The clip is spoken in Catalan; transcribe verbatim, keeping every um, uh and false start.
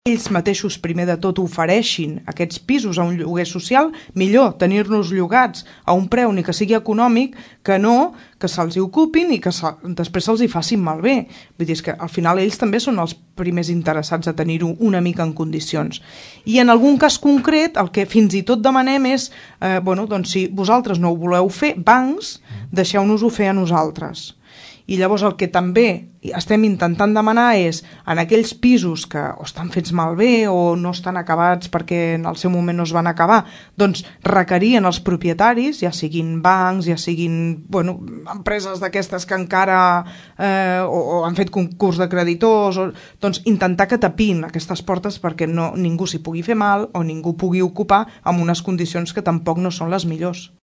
ells mateixos primer de tot ofereixin aquests pisos a un lloguer social, millor tenir-nos llogats a un preu ni que sigui econòmic que no que se'ls hi ocupin i que se, després se'ls hi facin malbé. Vull dir, és que al final ells també són els primers interessats a tenir-ho una mica en condicions. I en algun cas concret el que fins i tot demanem és eh, bueno, doncs si vosaltres no ho voleu fer, bancs, deixeu-nos-ho fer a nosaltres. I llavors el que també estem intentant demanar és en aquells pisos que o estan fets malbé o no estan acabats perquè en el seu moment no es van acabar, doncs requerien els propietaris, ja siguin bancs, ja siguin bueno, empreses d'aquestes que encara eh, o, o han fet concurs de creditors, o, doncs intentar que tapin aquestes portes perquè no, ningú s'hi pugui fer mal o ningú pugui ocupar amb unes condicions que tampoc no són les millors.